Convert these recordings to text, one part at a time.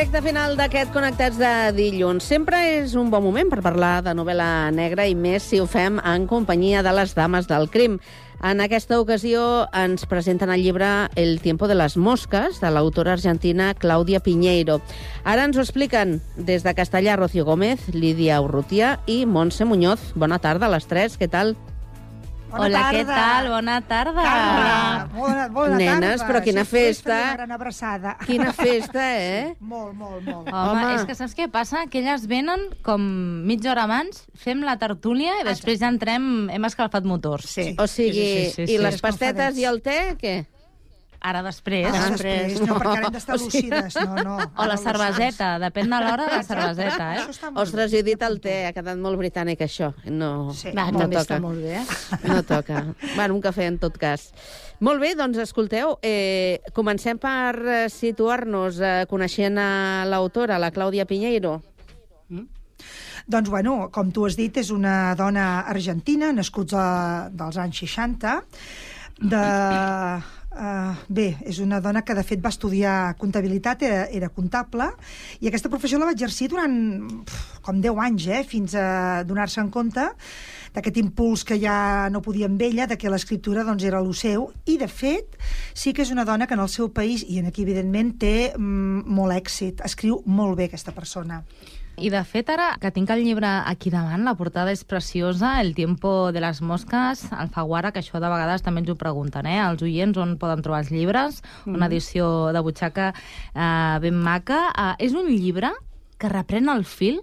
Recte final d'aquest Connectats de dilluns. Sempre és un bon moment per parlar de novel·la negra i més si ho fem en companyia de les dames del crim. En aquesta ocasió ens presenten el llibre El tiempo de las moscas, de l'autora argentina Claudia Piñeiro. Ara ens ho expliquen des de Castellà Rocío Gómez, Lídia Urrutia i Montse Muñoz. Bona tarda a les tres, què tal? Hola, què tal? Bona tarda. Bona tarda. Nenes, però quina festa. Una gran abraçada. Quina festa, eh? Molt. Home, és que saps què passa? Que elles venen com mitja hora abans, fem la tertúlia i després ja entrem, hem escalfat motors. Sí. O sigui, Sí. i les pastetes i el te, què? Ara després. Després. No, perquè ara hem d'estar lúcides. No. O la cerveseta, depèn de l'hora de la cerveseta, Això eh? està molt Ostres, bé. jo he dit el te, ha quedat molt britànic, això. No, Sí. Va, no també toca. està molt bé. No toca. Bueno, un cafè, en tot cas. Molt bé, doncs, escolteu, comencem per situar-nos coneixent a l'autora, la Clàudia Piñeiro. Doncs, bueno, com tu has dit, és una dona argentina, nascuts dels anys 60, bé, és una dona que de fet va estudiar comptabilitat, era comptable, i aquesta professió la va exercir durant com 10 anys, fins a donar-se en compte d'aquest impuls que ja no podia amb ella, de que l'escriptura doncs, era el seu, i de fet sí que és una dona que en el seu país, i aquí evidentment té molt èxit, escriu molt bé aquesta persona. I de fet, ara que tinc el llibre aquí davant, la portada és preciosa, El tiempo de las moscas, Alfaguara, que això de vegades també ens ho pregunten, els oients on poden trobar els llibres, una edició de butxaca ben maca. És un llibre que reprèn el fil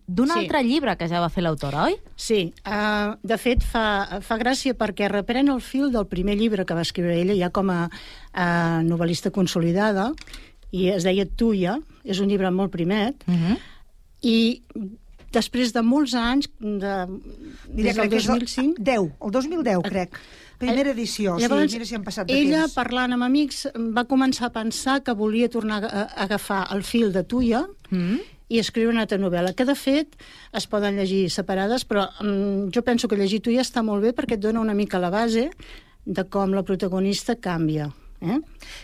d'un altre llibre que ja va fer l'autora, oi? Sí, de fet fa gràcia perquè reprèn el fil del primer llibre que va escriure ella ja com a novel·lista consolidada, i es deia Tuya, és un llibre molt primet, i després de molts anys, des del 2005... El 2010, crec. Primera edició. Llavors, mira si han passat de ella, temps. parlant amb amics, va començar a pensar que volia tornar a agafar el fil de Tuya i escriure una altra novel·la, que de fet es poden llegir separades, però jo penso que llegir Tuya està molt bé perquè et dona una mica la base de com la protagonista canvia.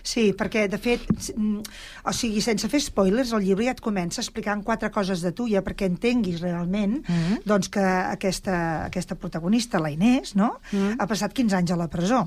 Sí, perquè, de fet, o sigui, sense fer spoilers, el llibre ja et comença explicant 4 coses de Tuya perquè entenguis realment doncs, que aquesta protagonista, la Inés, no? Ha passat 15 anys a la presó.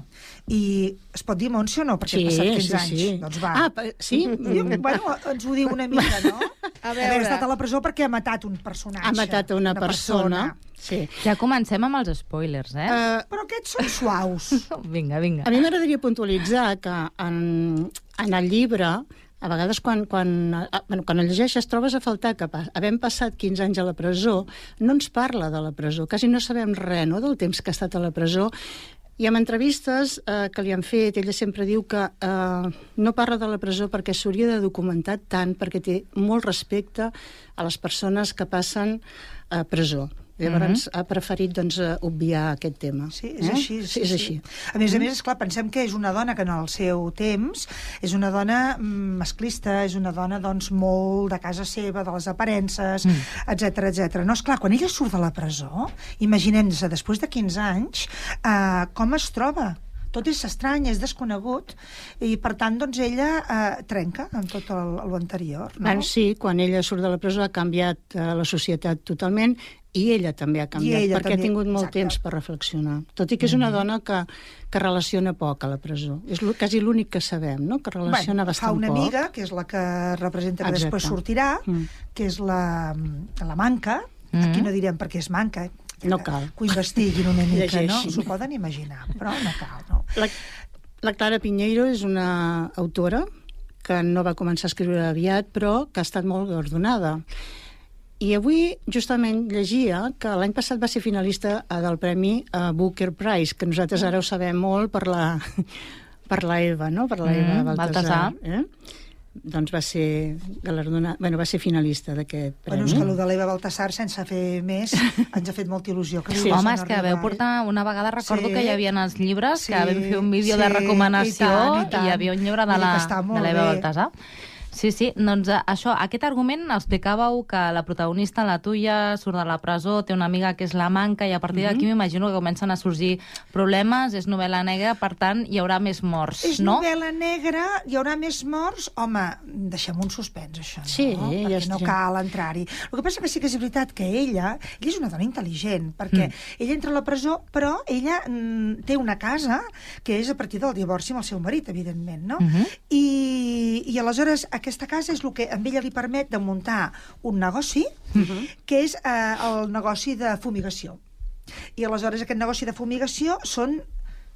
I es pot dir Montse o no? Perquè ha passat 15 anys. Sí. Doncs va. Sí? Bueno, ens ho diu una mica, no? A veure, ha estat a la presó perquè ha matat un personatge. Ha matat una persona. Sí. Ja comencem amb els spoilers, Però aquests són suaus. Vinga. A mi m'agradaria puntualitzar que en el llibre, a vegades quan el llegeixes trobes a faltar que havent passat 15 anys a la presó, no ens parla de la presó, quasi no sabem res del temps que ha estat a la presó. I en entrevistes que li han fet, ella sempre diu que no parla de la presó perquè s'hauria de documentar tant, perquè té molt respecte a les persones que passen a presó. Llavors ha preferit doncs, obviar aquest tema. Sí, és així. Sí, és així. A més, esclar, pensem que és una dona que en el seu temps és una dona masclista, és una dona doncs, molt de casa seva, de les aparences, etc. No, esclar, quan ella surt de la presó, imaginem-se, després de 15 anys, com es troba? Tot és estrany, és desconegut, i per tant, doncs, ella trenca amb tot l'anterior, no? Sí, quan ella surt de la presó ha canviat la societat totalment, i ella també ha canviat, perquè ha tingut molt temps per reflexionar. Tot i que és una dona que relaciona poc a la presó. És quasi l'únic que sabem, no? Que relaciona bastant poc. Fa una amiga, que és la que representa que després sortirà, que és la Manca. Aquí no direm perquè és manca, no cal. Que ho investiguin una mica, no? S'ho poden imaginar, però no cal, no? La Clara Piñeiro és una autora que no va començar a escriure aviat, però que ha estat molt guardonada. I avui justament llegia que l'any passat va ser finalista del Premi Booker Prize, que nosaltres ara ho sabem molt per la Eva, no? Per la Eva Baltasar. Doncs va ser galardonada, va ser finalista d'aquest premi. És que allò de l'Eva Baltasar, sense fer més, ens ha fet molta il·lusió. Home, és que veu portar una vegada, recordo que hi havia els llibres, que vam fer un vídeo de recomanació i hi havia un llibre de l'Eva Baltasar. Sí, doncs això, aquest argument explicàveu que la protagonista, la Tuia, surt de la presó, té una amiga que és la Manca, i a partir d'aquí m'imagino que comencen a sorgir problemes, és novel·la negra, per tant, hi haurà més morts, És no? novel·la negra, hi haurà més morts? Home, deixem un suspens, això, no? Sí, perquè ja no està. cal entrar-hi. El que passa que sí que és veritat que ella és una dona intel·ligent, perquè ella entra a la presó, però ella té una casa que és a partir del divorci amb el seu marit, evidentment, no? I aleshores aquesta casa és el que a ella li permet de muntar un negoci, que és el negoci de fumigació. I aleshores aquest negoci de fumigació són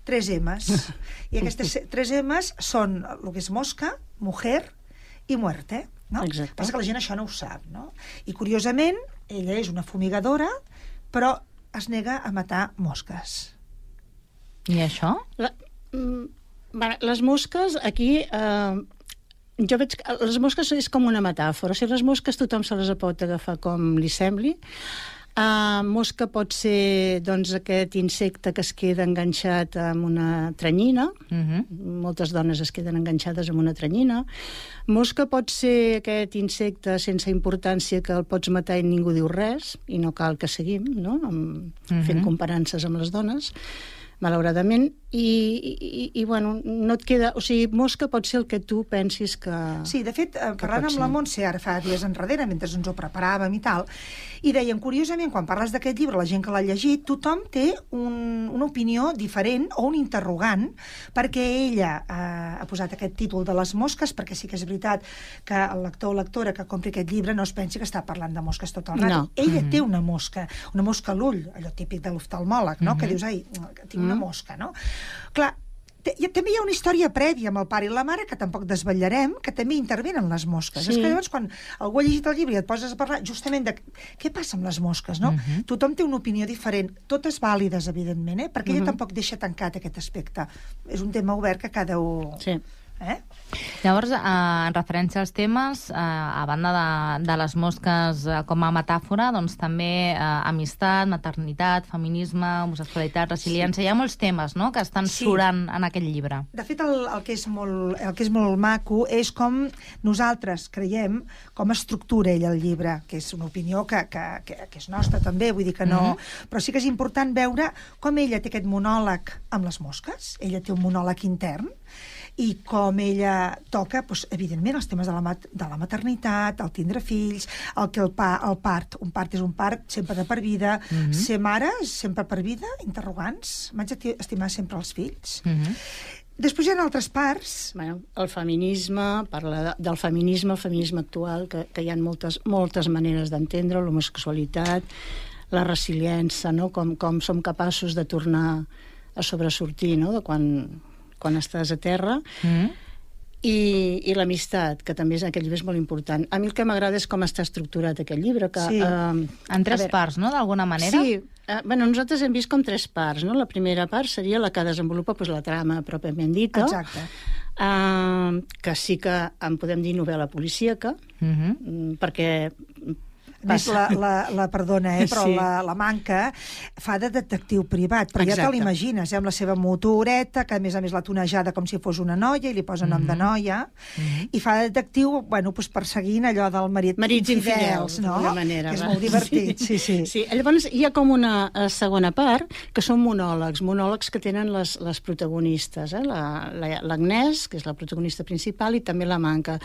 3 M's. I aquestes 3 M's són el que és mosca, mujer i muerte. No? Exacte. Passa que la gent això no ho sap, no? I curiosament, ella és una fumigadora, però es nega a matar mosques. I això? Les mosques, aquí... jo veig que les mosques és com una metàfora. O sigui, les mosques tothom se les pot agafar com li sembli. Mosca pot ser, doncs, aquest insecte que es queda enganxat amb una tranyina. Moltes dones es queden enganxades amb una tranyina. Mosca pot ser aquest insecte sense importància que el pots matar i ningú diu res, i no cal que seguim, no? Fent comparances amb les dones, malauradament, i bueno, no et queda... O sigui, mosca pot ser el que tu pensis que... Sí, de fet, parlant amb la Montse, ara fa dies enrere, mentre ens ho preparàvem i tal, i deien, curiosament, quan parles d'aquest llibre, la gent que l'ha llegit, tothom té una opinió diferent o un interrogant, perquè ella ha posat aquest títol de les mosques, perquè sí que és veritat que el lector o lectora que compri aquest llibre no es pensi que està parlant de mosques tot el rato. No. Ella té una mosca a l'ull, allò típic de l'oftalmòleg, no? Que dius, ai, tinc una mosca, no? Clar, també hi ha una història prèvia amb el pare i la mare, que tampoc desvetllarem, que també intervenen les mosques. Sí. És que llavors, quan algú ha llegit el llibre i et poses a parlar justament de què passa amb les mosques, no? Tothom té una opinió diferent, totes vàlides, evidentment, perquè ella tampoc deixa tancat aquest aspecte. És un tema obert que cada un... Sí. Llavors, en referència als temes, a banda de les mosques com a metàfora, doncs també amistat, maternitat, feminisme, homosexualitat, resiliència, hi ha molts temes, no?, que estan surant en aquest llibre. De fet, el que és molt maco és com nosaltres creiem com estructura ell el llibre, que és una opinió que és nostra també, vull dir que no... Però sí que és important veure com ella té aquest monòleg amb les mosques, ella té un monòleg intern, i com ella toca, doncs, evidentment, els temes de la maternitat, el tindre fills, el part. Un part és un part sempre de per vida. Ser mare és sempre per vida? Interrogants. M'haig d'estimar sempre els fills. Després hi ha altres parts. Bueno, el feminisme, parla del feminisme, el feminisme actual, que hi ha moltes maneres d'entendre, l'homosexualitat, la resiliència, no? Com som capaços de tornar a sobresortir, no?, de quan estàs a terra, i l'amistat, que també aquest llibre és molt important. A mi el que m'agrada és com està estructurat aquest llibre. Que, en 3 parts, no?, d'alguna manera? Sí. Bueno, nosaltres hem vist com 3 parts, no? La primera part seria la que desenvolupa la trama pròpiament dita. Exacte. Que sí que en podem dir novel·la policíaca, perquè... Més perdona, però la Manca fa de detectiu privat, però ja te l'imagines, amb la seva motoreta, que a més la tonejada com si fos una noia, i li posa nom de noia, i fa de detectiu, bueno, perseguint allò del marits infidels, no? Manera, que és molt divertit, sí. Llavors hi ha com una segona part, que són monòlegs que tenen les protagonistes, l'Agnès, que és la protagonista principal, i també la Manca.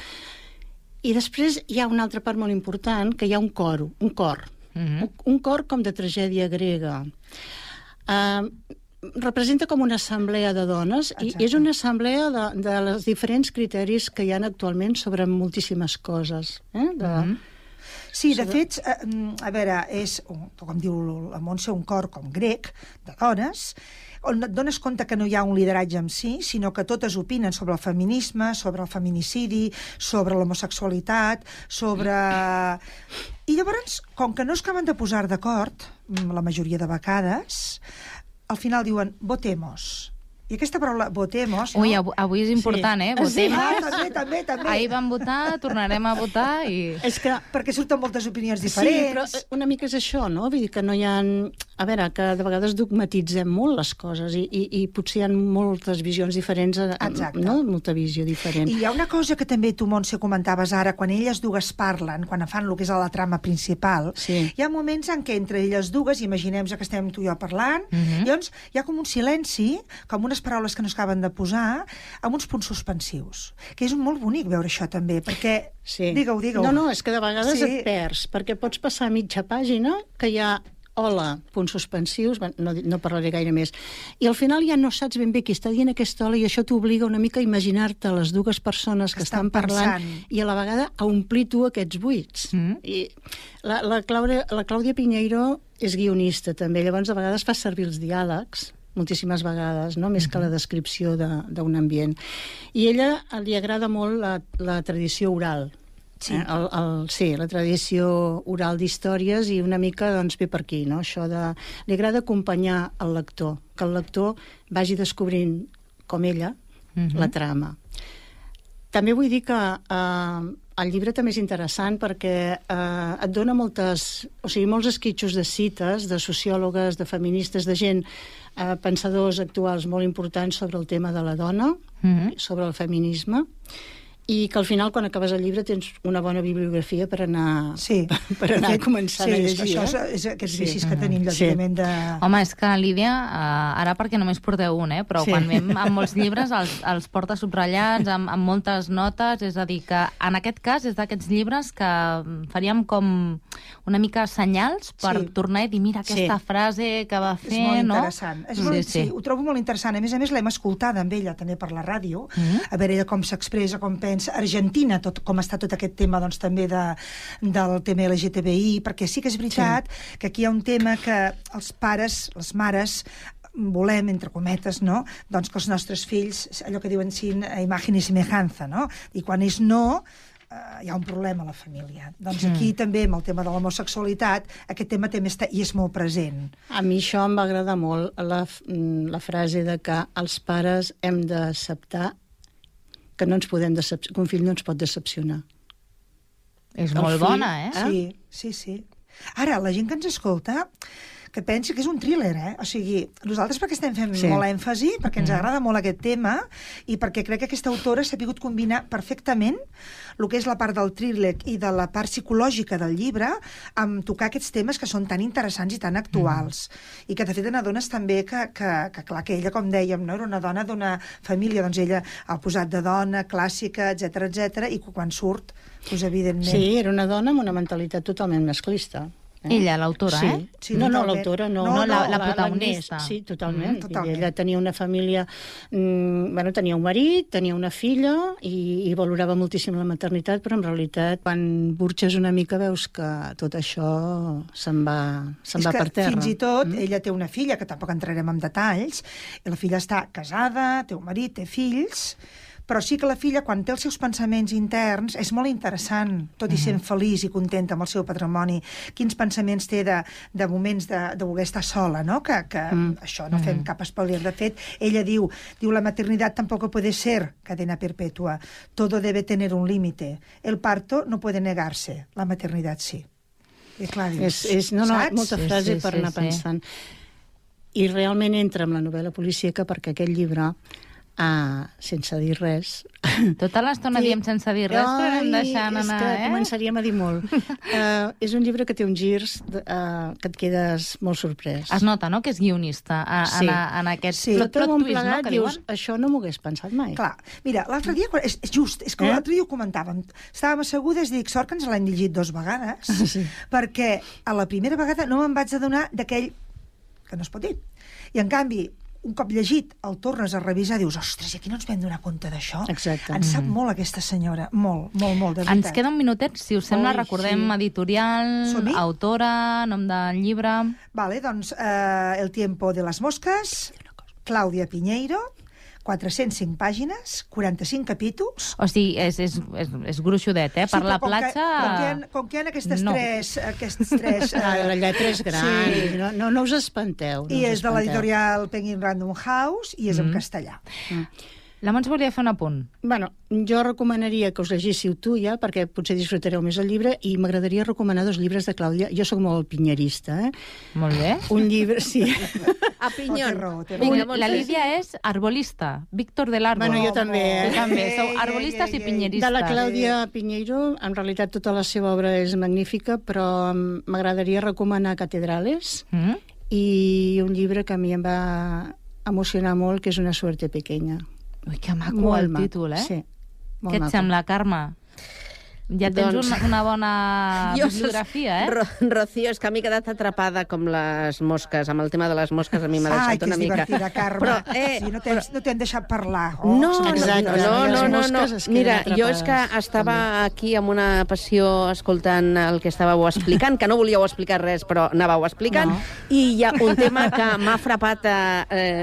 I després hi ha una altra part molt important, que hi ha un cor. Un cor com de tragèdia grega. Representa com una assemblea de dones, i és una assemblea de els diferents criteris que hi ha actualment sobre moltíssimes coses. Sí, de fet, a veure, és, com diu la Montse, un cor com grec, de dones, on et dones compte que no hi ha un lideratge en si, sinó que totes opinen sobre el feminisme, sobre el feminicidi, sobre l'homosexualitat, sobre... I llavors, com que no es acaben de posar d'acord, la majoria de vegades, al final diuen, votemos. I aquesta paraula votemos... Ui, avui és important, Sí. Votemos. També. Ahir vam votar, tornarem a votar i... És que Perquè surten moltes opinions sí, diferents. però una mica és això, no? Vull dir que no hi ha... A veure, que de vegades dogmatitzem molt les coses i potser hi ha moltes visions diferents, Exacte. no? Molta visió diferent. I hi ha una cosa que també tu, Montse, comentaves ara, quan elles dues parlen, quan fan el que és la trama principal, Sí. hi ha moments en què entre elles dues, imaginem que estem tu i jo parlant, llavors hi ha com un silenci, com unes paraules que no s'acaben de posar, amb uns punts suspensius, que és molt bonic veure això també, perquè... Sí. Digue-ho. No, és que de vegades Sí. et perds, perquè pots passar mitja pàgina que hi ha hola, punts suspensius, no parlaré gaire més. I al final ja no saps ben bé qui està dient aquesta hola i això t'obliga una mica a imaginar-te les dues persones que estan parlant i a la vegada a omplir tu aquests buits. I la Clàudia Piñeiro és guionista també, llavors a vegades fa servir els diàlegs moltíssimes vegades, no? Més que la descripció d'un ambient. I a ella li agrada molt la tradició oral. Sí. Sí, la tradició oral d'històries i una mica doncs, ve per aquí, no? Això de... Li agrada acompanyar el lector, que el lector vagi descobrint, com ella, la trama. També vull dir que el llibre també és interessant perquè et dona molts esquitxos de cites de sociòlogues, de feministes, de gent, pensadors actuals molt importants sobre el tema de la dona, sobre el feminisme, i que al final, quan acabes el llibre, tens una bona bibliografia per anar, per anar començant a llegir. Sí, això és aquests vicis que tenim, lògicament, de... Home, és que, Lídia, ara perquè només porteu un, però quan vam amb molts llibres els porta subratllats, amb moltes notes, és a dir, que en aquest cas és d'aquests llibres que faríem com una mica senyals per tornar i dir, mira, aquesta frase que va fer, no? És molt interessant. Sí, ho trobo molt interessant. A més, l'hem escoltada amb ella també per la ràdio, a veure ella com s'expressa, com pensa. Argentina, com està tot aquest tema doncs, també del tema LGTBI, perquè sí que és veritat que aquí hi ha un tema que els pares, les mares, volem, entre cometes, no? Doncs que els nostres fills, allò que diuen sin imagen y semejanza, no? I quan és no, hi ha un problema a la família. Doncs aquí també, amb el tema de l'homosexualitat, aquest tema també està i és molt present. A mi això em va agradar molt, la frase de que els pares hem d'acceptar que no ens podem que un fill no ens pot decepcionar. És molt bona, Sí. Ara, la gent que ens escolta, que pensi que és un thriller, O sigui, nosaltres perquè estem fent molt èmfasi, perquè ens agrada molt aquest tema, i perquè crec que aquesta autora s'ha pogut combinar perfectament el que és la part del thriller i de la part psicològica del llibre amb tocar aquests temes que són tan interessants i tan actuals. I que, de fet, n'adones també que, clar, que ella, com dèiem, no? Era una dona d'una família, doncs ella ha posat de dona, clàssica, etc i quan surt, doncs, evidentment... Sí, era una dona amb una mentalitat totalment masclista. Ella, l'autora, Sí, no, l'autora no. No, la protagonista. Sí, totalment. Ella tenia una família... tenia un marit, tenia una filla i valorava moltíssim la maternitat, però en realitat, quan burxes una mica, veus que tot això se'n va per terra. Fins i tot, ella té una filla, que tampoc entrarem en detalls, i la filla està casada, té un marit, té fills... Però sí que la filla, quan té els seus pensaments interns, és molt interessant, tot i sent feliç i contenta amb el seu patrimoni, quins pensaments té de moments de voler estar sola, no? Que això no fem cap spoiler. De fet, ella diu, la maternitat tampoco puede ser cadena perpetua, todo debe tener un límite. El parto no puede negarse, la maternitat sí. I clar, dius, saps? Molta frase per anar pensant. I realment entra en la novel·la policíaca perquè aquest llibre... sense dir res. Tota l'estona diem sense dir res, però anem deixant anar, És que començaríem a dir molt. És un llibre que té uns girs que et quedes molt sorprès. Es nota, no?, que és guionista en aquest plot twist, no?, que diuen. Això no m'ho hagués pensat mai. Clar, mira, l'altre dia, és que l'altre dia ho comentàvem, estàvem assegudes i dic, sort que ens l'hem llegit 2 vegades, perquè a la primera vegada no me'n vaig adonar d'aquell que no es pot dir. I en canvi, un cop llegit, el tornes a revisar i dius, ostres, i aquí no ens vam donar compte d'això? Exacte. Ens sap molt aquesta senyora, molt, de veritat. Ens queda un minutet, si us sembla, recordem editorial, autora, nom del llibre... Vale, doncs, El tiempo de las moscas, Clàudia Piñeiro, 405 pàgines, 45 capítols... O sigui, és gruixudet, eh? Per la platja... Com que hi ha aquests tres... La lletra és gran, Sí. no us espanteu. I és de l'editorial Penguin Random House i és en castellà. La Montse volia fer un apunt. Bueno, jo recomanaria que us llegíssiu tu ja, perquè potser disfrutareu més el llibre, i m'agradaria recomanar 2 llibres de Clàudia. Jo sóc molt pinyerista, eh? Molt bé. Un llibre, sí. A Pinyón. Té raó. La Lídia és arbolista, Víctor del Árbol. Bueno, jo també, Tu també, sou arbolistes i pinyeristes. De la Clàudia Piñeiro, en realitat tota la seva obra és magnífica, però m'agradaria recomanar Catedrales i un llibre que a mi em va emocionar molt, que és Una suerte pequeña. Ui, que maco el títol, eh? Sí, molt Què et maco. sembla, Carme? Ja tens Doncs- una bona bibliografia, eh? Rocío, és que m'he quedat atrapada com les mosques. Amb el tema de les mosques a mi m'ha Ai, deixat que una és mica. divertida, Carme. Però, Sí, no t'hem deixat parlar. No, Exacte, no. les mosques es queden Mira, jo és que atrapades, estava aquí amb una passió escoltant el que estàveu explicant, que no volíeu explicar res, però anàveu explicant, i hi ha un tema que m'ha frapat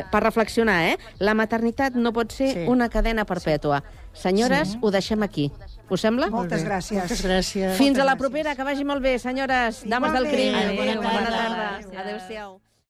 per reflexionar, eh? La maternitat no pot ser una cadena perpètua. Senyores, ho deixem aquí. Us sembla? Moltes gràcies. Moltes gràcies. Fins a la propera, que vagi molt bé, senyores, dames del crim. Igualment. Adéu, Bona bona tarda. tarda. Adéu-siau.